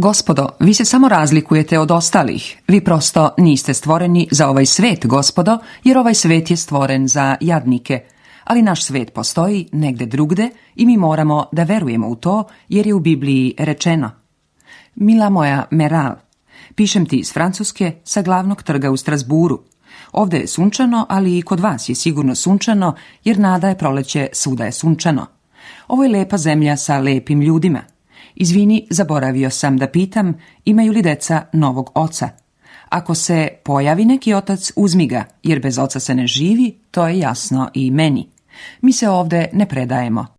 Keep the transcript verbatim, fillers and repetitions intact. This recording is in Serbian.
Gospodo, vi se samo razlikujete od ostalih. Vi prosto niste stvoreni za ovaj svet, gospodo, jer ovaj svet je stvoren za jadnike. Ali naš svet postoji negde drugde i mi moramo da verujemo u to, jer je u Bibliji rečeno. Mila moja Meral, pišem ti iz Francuske sa glavnog trga u Strasburu. Ovde je sunčano, ali i kod vas je sigurno sunčano, jer nada je proleće, svuda je sunčano. Ovo je lepa zemlja sa lepim ljudima. Izvini, zaboravio sam da pitam, imaju li deca novog oca? Ako se pojavi neki otac, uzmi ga, jer bez oca se ne živi, to je jasno i meni. Mi se ovde ne predajemo.